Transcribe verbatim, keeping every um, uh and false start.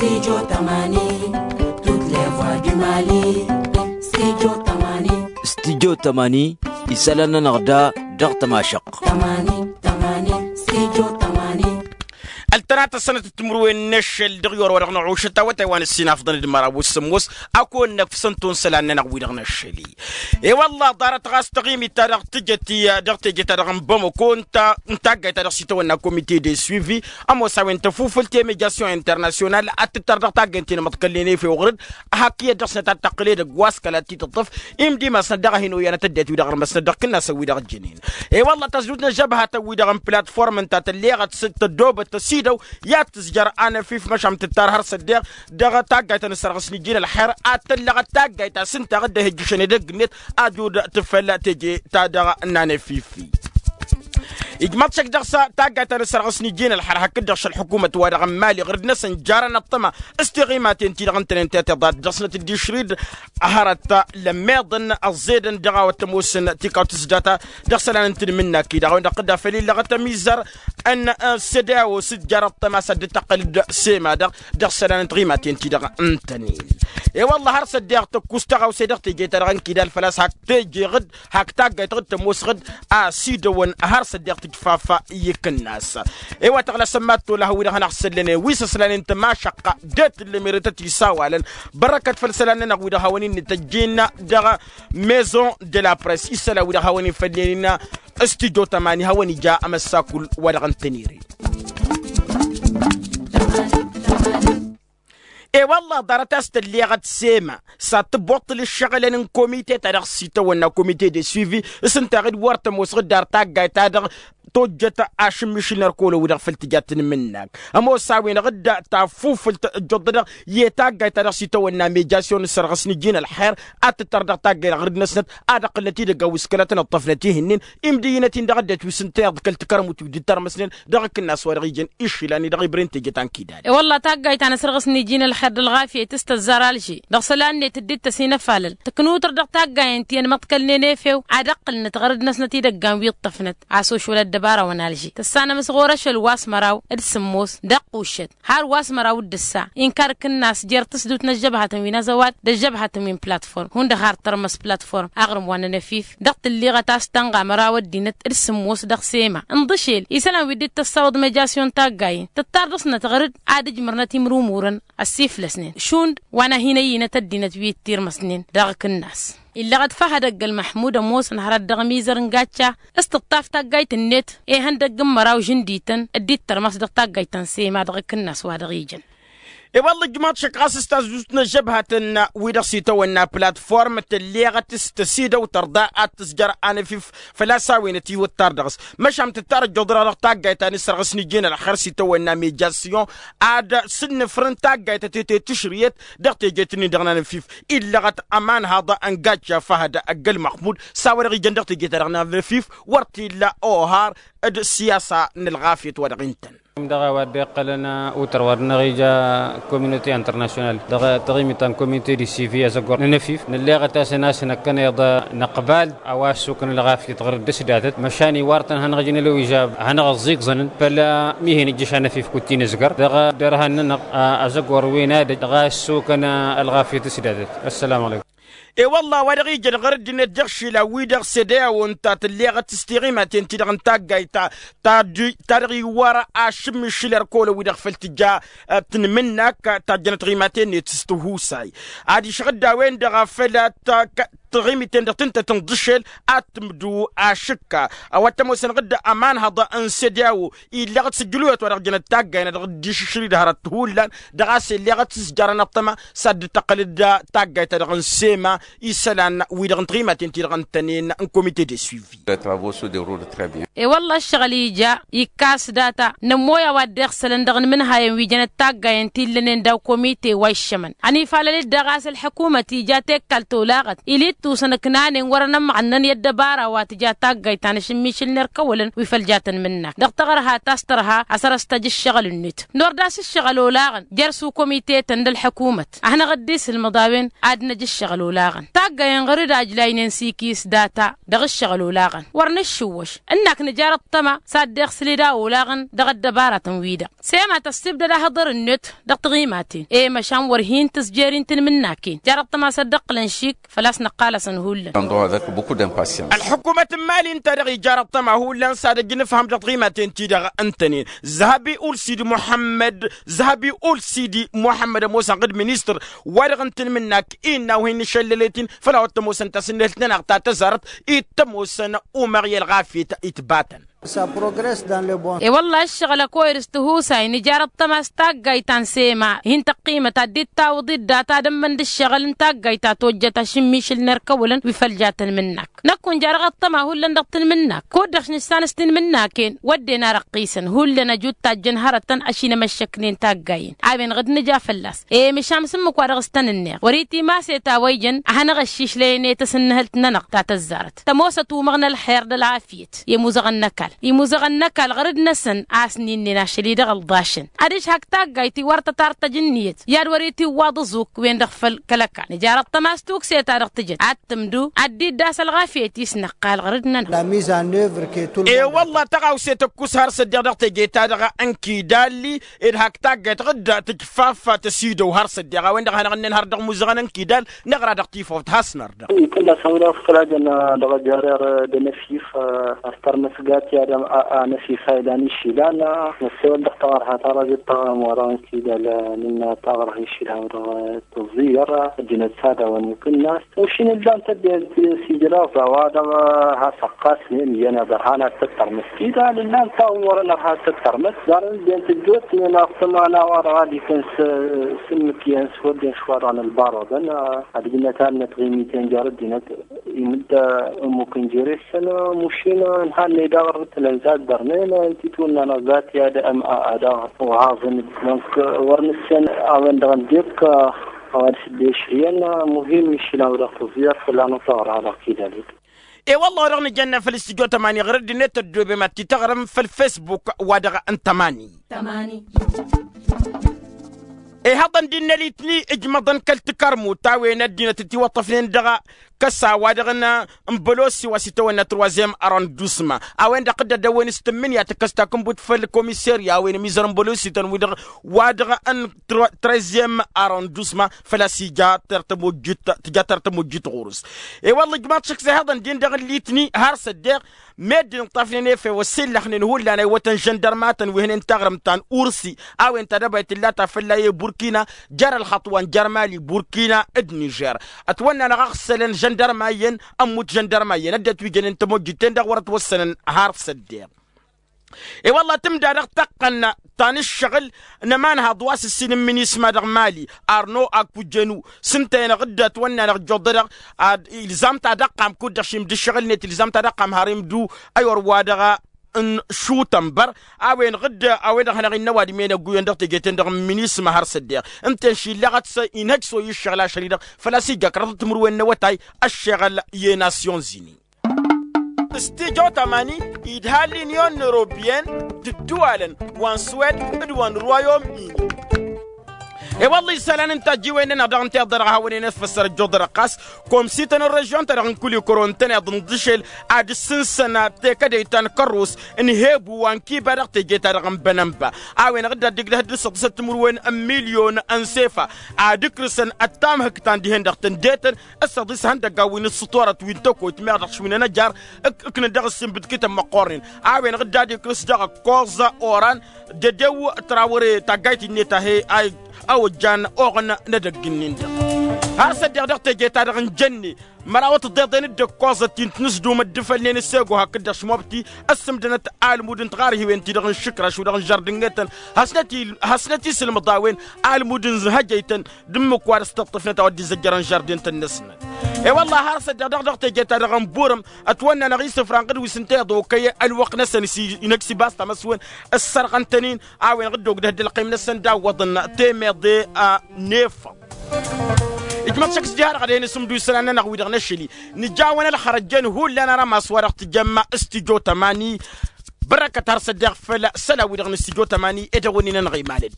Studio tămani, toutes les voix du mali. Studio tămani. Studio tămani, isălan-nănăɣ da dăɣ-tămašăɣt. Tămani, tămani, studio tămani. Ăltănat ăssănăt d-timǝrwen n-ašăl dăɣ-i orăwădăɣ n-aɣušăt awătay wa n-ăssinafḍăn d-măraw s-sǝmmos. Akăwăn-năkf s-ănton isălan-nănăɣ wi-dăɣ n-ašăl-i. E-wălla ḍarăt ɣas taɣimit-ta-dăɣ tǝjăt-i dăɣ-teje-ta-dăɣ n-bamăko n-taggayt-ta-dăɣ s-itawănna komite de suivi, ămoos a-wen tăfufǝlt i-mediasyon internasyonal ad-tǝttăr dăɣ-taggayt-in măḍkălnen efew ɣur-dd. Hak iyyăt dăɣ-snăt ad-tăqqǝl edăgg wa s-kăla t-titǝṭṭăf imdimăsnăt dăɣ-a hin-oyyan ad-tăddinăt wi-dăɣ ărmăsnăt dăɣ-kǝnnasăn wi-dăɣ ǝjjănen. E-wălla tăzdut n-ăžžăbhatăn wi-dăɣ n-platform ǝnta tălleɣăt s-tăddobăt tăsidăw i-ad-tǝzjăr anăfif măšan tǝttar har s-ăddeɣ dăɣ-taggayt a n-ǝssărɣǝs n-iji n-ălxer ad-tăllăɣăt taggayt ta s-ǝnta dd-ehǝjjǝšăn edăgg-net ad-dd-tǝfăl teje-ta-dăɣ n-anăfifi. Ijmaḍ šăkk dăɣ-s taggayt ta n-ǝssărɣǝs n-iji n-ălxer hakd-dăɣ šălḥukumăt-wa-dăɣ n-imali ɣǝrǝd-năsăn jarăn ăṭṭăma s-tiɣimaten-ti-dăɣ ǝntănen tatiḍat dăɣ-snăt dd-išrǝy-dd hărăt lămmeḍăn ăẓẓedăn dăɣ-a-wa t-ămoosăn tikawt s-data dăɣ-isălan n-tinmǝnnak-i-dăɣ a-wen-dăɣ tǝddafăl illăɣăt ămizăr n-sede a-wa s-dd-jarăt tămasa dd-tăqqăl-dd sema-dăɣ dăɣ-isălan n-tiɣimaten-ti-dăɣ ǝntănen. E-wălla har s-ăddeɣ tăkkus tăɣawse dăɣ-teje-ta-dăɣ ănkidal făl-a-s hak teje-ɣ-dd hak taggayt ɣ-dd tămoos ɣ-dd a-s idăwăn har s-ăddeɣ tǝjfaf i-ikǝnnas. E-wa tăɣlasăn mad-tolăhăn wi-dăɣ hanăɣ-săllănen wi s-ăslănen tămašăqqa d-e-tǝllem eretăt isawalăn bărăkăt făll-isălan-nănăɣ wi-dăɣ hawăn-in-tăjjin dăɣ-maison de la press isălan wi-dăɣ hawăn-in-fălnen s-tijo tămani hawăn-ija amăssakul wa dăɣ-ǝntănere. E-wălla ḍarăt a-s tălleɣăt sema s-ad-tǝbbuṭṭǝl ǝššăɣǝlăn n-komite-ta-dăɣ s-itawănna komite de suivi s-ǝnta ɣǝd wăr tămoos ɣǝddar taggayt-ta-dăɣ tojjăt ašǝmmišǝl n-ărkăwălăn wi-dăɣ făll-tǝja tǝnmǝnnak ămoos a-wen ɣǝdda tafufǝlt ăjjoḍădăɣ i-taggayt-ta-dăɣ s-itawănna mejasyon n-sărɣǝs n-iji n-ălxer ad-tǝttăr dăɣ-taggayt-dăɣ ɣǝrǝd-năsnăt ad-ăqqǝlnăt idăggan wi s-kăla tăn-ǝṭṭăfnăt ihǝnnin imdǝyyǝnăt-in dăɣ-ăddinăt wi s-ǝnta iḍkăl-t kărămut wi dd-tărmăsnen dăɣ-akǝnnas wa dăɣ-ijăn išilan-i dăɣ-ibrǝn teje ta n-kidal. E-wălla taggayt ta n-asărɣǝs n-iji n-ălxer d-ălɣafyăt s-tăzzar alže dăɣ-isălan-net dd-tăs inăfalăl tǝknutăr dăɣ-taggayen ti ănmăḍkălnen efew ad-ăqqǝlnăt ɣărăd-năsnăt idăggan wi ǝṭṭăfnăt a-s ošwăl ăddăbara wa n-alže tǝssanăm s-ɣur-ašăl wa s-măraw d-sǝmmos d-ăqquššăt har wa s-măraw d-ǝssa inkar akǝnnas jer-tǝsdut n-ăžžăbhatăn wi n-azăwad d-ăžžăbhatăn wi n-platform hundăɣ har tărmăs platform aɣrǝm wa n-anăfif dăɣ-tǝlliɣăt a-s tănɣa măraw ăddinăt d-sǝmmos dăɣ-sema ǝnḍǝšel isălan wi dd-tăssawăḍ mejasyon taggayen tǝttar dăɣ-snăt ɣăr-dd ad-ǝjmărnăt imrumurăn ăssiflăsnen šund wa n-ad-hin-ăyyinăt ăddinăt wi t-irmăsnen dăɣ-akǝnnas. Illăɣăt făhăd ăgg-ălmăḥmud ămoosăn hărăt dăɣ-mizăr n-gacca s-tǝṭṭaf taggayt-net ihăndăgg n-măraw žǝndităn dd-ittărmas dăɣ-taggayt ta n-sema dăɣ-akǝnnas wa dăɣ-ijăn. I-wălla ǝjmaḍ šăkk ɣas s-tazdust n-ăžžăbhatăn-wi-dăɣ s-itawănna platform tălleɣăt s-tăsidăw tărḍa ad-tǝzjăr anăfif făl-a-s a-wen ătiwǝttar dăɣ-s măšan tǝttar ăjjoḍăr-dăɣ taggayt ta n-ǝssărɣǝs n-iji n-ălxer s-itawănna mejasyon ad-sǝnnǝfrǝn taggayt ătete tǝšrǝyăt dăɣ-tejet-nin-dăɣ n-anăfif. Illăɣăt ămanhaḍ n-gacca făhăd ăgg-ălmăxmud s-a-wa dăɣ-ijăn dăɣ-tejet-ta-dăɣ n-anăfif wăr t-illa ohar d-siyasa n-ălɣafyăt wa dăɣ-intăn. Dăɣ-a-wa dd-iqqălăn utăr wa dăɣ-năɣ ija communauté international dăɣ-taɣimit ta n-comité de suivi azăggor n-anăfif nălleɣăt-asăn a-s năkkăneḍ năqbal a-wa ăssukăn ălɣafyăt ɣur-dd s-datăt măšan iwar-tăn hanăɣ-ijăn ălwija hanăɣ-ăẓẓigẓănăn făll-mihen ijjăš anăfif kud t-inǝzgăr dăɣ-dărhan-nănăɣ. Azăggor wi n-ad-ăj dăɣ-a ăssukăn ălɣafyăt s-datăt. Ăssălam alăykum. E-wălla a-wa dăɣ-ijăn ɣur-ăddinăt dăɣ-išilan-wi-dăɣ sede a-wa ǝnta tălleɣăt s-tiɣimaten-ti-dăɣ n-taggayt ta ta-dăɣ iwwăr ašǝmmišǝl ărkăwălăn-wi-dăɣ făll-tǝja tǝnmǝnnak tajjănăt tiɣimaten-net s-tihusay ad-išɣǝd a-wen-dăɣ făll-taɣimiten-dăɣ tǝntăt ǝnḍǝšel ad-tǝmdǝw ašǝkka. A-wa t-ămoosăn ɣǝdda ămanhăḍ n-sede a-wa illăɣăt s-ǝjjǝluyăt wa dăɣ-jănăt taggayen a dăɣ-dd-išǝšrǝy d-hărăt hullan dăɣ-a-s ellăɣăt s-jarăn ăṭṭăma s-ad-dd-tăqqăl-dd taggayt ta dăɣ-n sema isălan wi-dăɣ n-tiɣimaten-ti-dăɣ ǝntănen n-comité de suivi. I-wălla ǝššăɣǝl ija ikkas data nămmoy a-wa dd-iɣsălăn dăɣ-inmǝnhayăn wi jănăt taggayen ti ǝllănen daw-komite wa iššămăn ănifalăl-dd daɣ a-s ălḥăkumăt ija tekkalt olaɣăt ili-dd tusăn ǝknanen wăr-ănămɣănnăn i-ăddăbara wa tǝja taggayt ta n-ašǝmmišǝl n-erk ăwwălăn wi făll-ja tănmǝnnak dăɣ-taɣărha ta s-tărha a săr-ăstăj ǝššăɣǝl-net. Nor d-a-s ǝššăɣǝl olaɣăn jer-s ukomite-tăn d-ălḥăkumăt ad-hanăɣ-dd-isǝlmǝḍ a-wen ad-năj ǝššăɣǝl olaɣăn. ălxaqq-tăn taggayen ɣur-dd ajlaynen s-ikis data dăɣ-ǝššăɣǝl olaɣăn wăr nǝššǝwwăš ǝnnak nǝjar ăṭṭăma s-ad-dd-iɣsǝl-dd a olaɣăn dăɣ-ăddăbaratăn-wi-dăɣ. Sema tăssibdăd ahǝḍăr-net dăɣ-tiɣimaten i-măšan wăr hin-tǝzjer i n-tinmǝnnaken jar ăṭṭăma s-ăddăqqǝlăn šik făl-a-s năqqal-asăn hullan. Ălḥukumăt n-imali ǝnta-dăɣ ijar ăṭṭăma hullan s-ad-ăj nǝfhăm dăɣ-tiɣimaten-ti-dăɣ ǝntănen. Zăhabi ulsidi muḥămmăd zăhabi ulsidi muḥămmăd ămoosăn ɣǝd ministăr wa-dăɣ n-tinmǝnnak innă a-wen n-išăllălet-in făl-a-wa t-ămoosăn tasǝnnehǝlt-nănăɣ ta tăzarăt i t-ămoosăn umăɣ i-ălɣafyăt itbatăn. I-wălla ǝššăɣǝl ăkoyăd s-tihusay nǝjar ăṭṭăma s-taggayt ta n-sema hin-tăqqimăt ad-dd-tawǝḍ-dd data d-ămmăn d-ǝššăɣǝl n-taggayt ta tojjăt ašǝmmišǝl n-erkăwălăn wi făl ja tǝnmǝnnak. Năkk wǝnja-dăɣ ăṭṭăma hullan dăɣ-tǝnmǝnnak kud-dăɣ š-nǝssan s-tinmǝnnaken wădden ar ăqqisăn hullan ăjut tajjăn hărătăn ăšinămăššăknen taggayen a-wen ɣǝd nǝja fălla-s. E măšan s-ǝmmǝk wa dăɣ-s tăn-ǝnneɣ wăr-itimas i-tawăy jăn ad-hanăɣ-ăššišlăyăn i-tasǝnnăhǝlt-nănăɣ ta tăzzarăt tămoosăt umăɣ n-ălxer d-ălɣafyăt. I-imuzăɣăn n-ăkall imuzăɣăn n-ăkall ɣur-dd-năsăn a-s n-innăn ašăl-i-dăɣ ălḍašăn ad-ǝžhăk taggayt-i wăr tăt-ar tăj ǝnniyăt i-ad-wăr-itiwwaḍ ǝẓuk-wen-dăɣ făll-kăl-ăkall nǝjar ăṭṭăma s-tukse ta dăɣ-tǝjăt ad-tǝmdu ad-dd-iddas ălɣafyăt-i s-năqqal ɣur-dd-nănăɣ. E-wălla tăɣawse tăkkus har s-ăddiɣ dăɣ-teje-ta-dăɣ n-kidalli ed hak taggayt ɣǝdda tǝjfaf tăsidăw har s-ăddiɣ a-wen-dăɣ hanăɣ-ǝnnen har dăɣ-imuzăɣăn n-kidal năɣra dăɣ-tifawt has-nărdăɣ. Itǝlla s-hăwdăɣ s-kăla jăn dăɣ-ajărer d-enăsif. Ăstărmăsgat i-ad-anăsif a ilan išilan. Năssewăl dăɣ-taɣărha ta rajăt taɣărha-wa-dăɣ n-kidal nǝnna taɣărha išilan dăɣ-tăẓẓiyăr ăddinăt s-ad-awăn ikǝnnas. Ušin ǝllan tăddent s-ijraẓ a-wa-dăɣ has-ăqqasnen iyyăn ad-ărhan ad-tăttărmăs kidal ǝllan taɣǝm wărăn ărha ad-tăttărmăs. Darăn ǝddent ǝjjootnen aɣtǝman a-wa-dăɣ ad-ikǝn s-ǝmmǝk iyyăn s-wădden šwa-dăɣ n-ălbaruḍăn. Ad-ǝjnăt alnăt ɣimiten jer-ăddinăt imǝdda ămmuk n-jere-săn. Mušin ǝnhannăy daɣ ărrǝtǝlăn zad-dărnen ǝnta itwănna-năɣ zat i-ad-ăm'a ad-aɣ-uhaẓăn. Dănk wăr nǝssen a-wen-dăɣ n-dek a-wa d-sǝdde išrǝyăn. Muhim išilan-wi-dăɣ tǝẓẓiyăr fălla-năɣ taɣra dăɣ-kidal-wi-dăɣ. E-wălla-wi-dăɣ nǝjănna făll-istijjo tămani ɣur-ăddinăt ăddoobem ad-t-tăɣrǝm făll-fesbuk wa dăɣ-n tămani. Ihăḍăn d-innă litni ǝjmăḍăn kăl-tikărmut a-wen ăddinăt ătiwăṭṭăfnen dăɣ-kăsa wa dăɣ-n bălosi wa s-itawănna troisième arrondissement a-wen-dăɣ dd-ăddăwăn s-tǝmmǝnǝya tǝkkăs takǝnbut făll-komiserya a-wen ămizăr n-bălosi-tăn-wi-dăɣ wa dăɣ-n treizième arrondissement făl-a-s ija tǝja tăr-tămojjit ɣur-s. I-wălla ǝjmaḍ šăkk s-ihăḍăn-din-dăɣ n-litni har s-ăddeɣ meddǝn ǝṭṭafnen efew ăsillăxnen hullan a iwătăn žăndărmatăn wi hănen taɣrǝmt ta n-ursi a-wen tadăbayt tǝlla ta fălla i-burkina jer-ălxaṭ wa n-jer-mali burkina d-nižer. Ătwănna-năɣ a ăɣsălăn žăndărma iyyăn ămmut žăndărma iyyăn ăddinăt wi jănen tamojjit-ten-dăɣ wăr ătwăssănăn har s-ăddeɣ. I-wălla tǝmda dăɣ-taqqăn ta n-ǝššăɣǝl n-ămanhaḍ wa s-ǝssin n-minisma dăɣ-mali arno akujenu s-ǝnta-enăɣ dd-ătwănna-năɣ ǝjjuḍădăɣ. Ilzam-t ad-ăqqam kud-dăɣ šimd ǝššăɣǝl-net ilzam-t ad-ăqqam har imdu ăywăr wa dăɣ-n šutănbăr a-wen-dăɣ a-wen-dăɣ hanăɣ-innă ăwadǝm i-inăgguyen dăɣ-teje-ten-dăɣ n-minisma har s-ăddeɣ ǝnta-en šillăɣăt s-inhăj s-oy ǝššăɣǝl ašăl-i-dăɣ. Făl-a-s ija kăraḍăt timǝrwen n-awătay ăššeɣăl i-nasyonzini. Stijo tamani idha l'union européenne d-ǝddǝwalăn wa n-suwed d-wa n-royaume-uni. I-wălla isălan n-tajjiwen-nănăɣ dăɣ-n tiḍărɣ a hawăn-en-ătfăssăr ăjjuḍărăɣ ɣas komsităn n-režion-ta-dăɣ n-kulikoro ǝntăneḍ n-dăšel ad-ǝssǝnsăn tekădăyt ta n-kărrus n-hebu wa n-kiba dăɣ-teje-ta-dăɣ n-bănănba a-wen-dăɣ dd-ad-dd-igdăh d-ǝssăḍǝsăt timǝrwen n-milyon n-sefa ad-ǝkrǝsăn ăttamhǝk ta n-dihen-dăɣ tǝndetăn ǝssăḍis ihăndăggan wi n-ǝssǝtorăt wi n-tăkoyt meɣ dăɣ-s wi n-ănăjar. Ǝknǝn dăɣ-ǝssin bǝdkităn măqqornen a-wen-dăɣ dd-ad-ikrǝs dăɣ-ăkkoẓ oran dădew trawăre taggayt innet a he-a ojjan oɣăn n-edăgg-ǝnnin-dăɣ. Har s-ăddeɣ dăɣ-teje-ta-dăɣ n-jănne mărawăt ǝḍeḍen d-ǝkkoẓăt ti n-tinǝsdum ăddǝfălnen s-ego hakd-dăɣ šmobti ăssǝmdănăt almud n-tiɣarhiwen-ti-dăɣ n-išǝkraš wi-dăɣ n-žardǝngetăn. Hasnăt-isǝlmǝḍ a-wen almud n-hăjăytăn d-ǝmmǝk wa dăɣ-s tǝṭṭǝfnăt a-wa dd-izăjjărăn žardǝn-tăn-năsnăt. I-wălla har s-ăddeɣ dăɣ-teje-ta-dăɣ n-burǝm ătwănna-năɣ isǝfra n-ɣǝd wi s-ǝnta iḍokăy ălwăqq-năsăn s-inăgg s-ibas tamăswen ǝssărɣăn-tăn-in a-wen-dăɣ dd-ogdăh dd-ălqim-năsăn d-awwăḍăn temeḍe a n-efăḍ. Ijmăḍ šăkk s-diha-dăɣ ad-hen-isǝmdu isălan-nănăɣ wi-dăɣ n-ašăl-i nǝjawăn ălxărăjjen hullan arămas wa dăɣ-tǝjămma s-tijo tămani. Bărăkăt har s-ăddeɣ făll-isălan-wi-dăɣ n-s tijo tămani edăwănnin-anăɣ imalăd.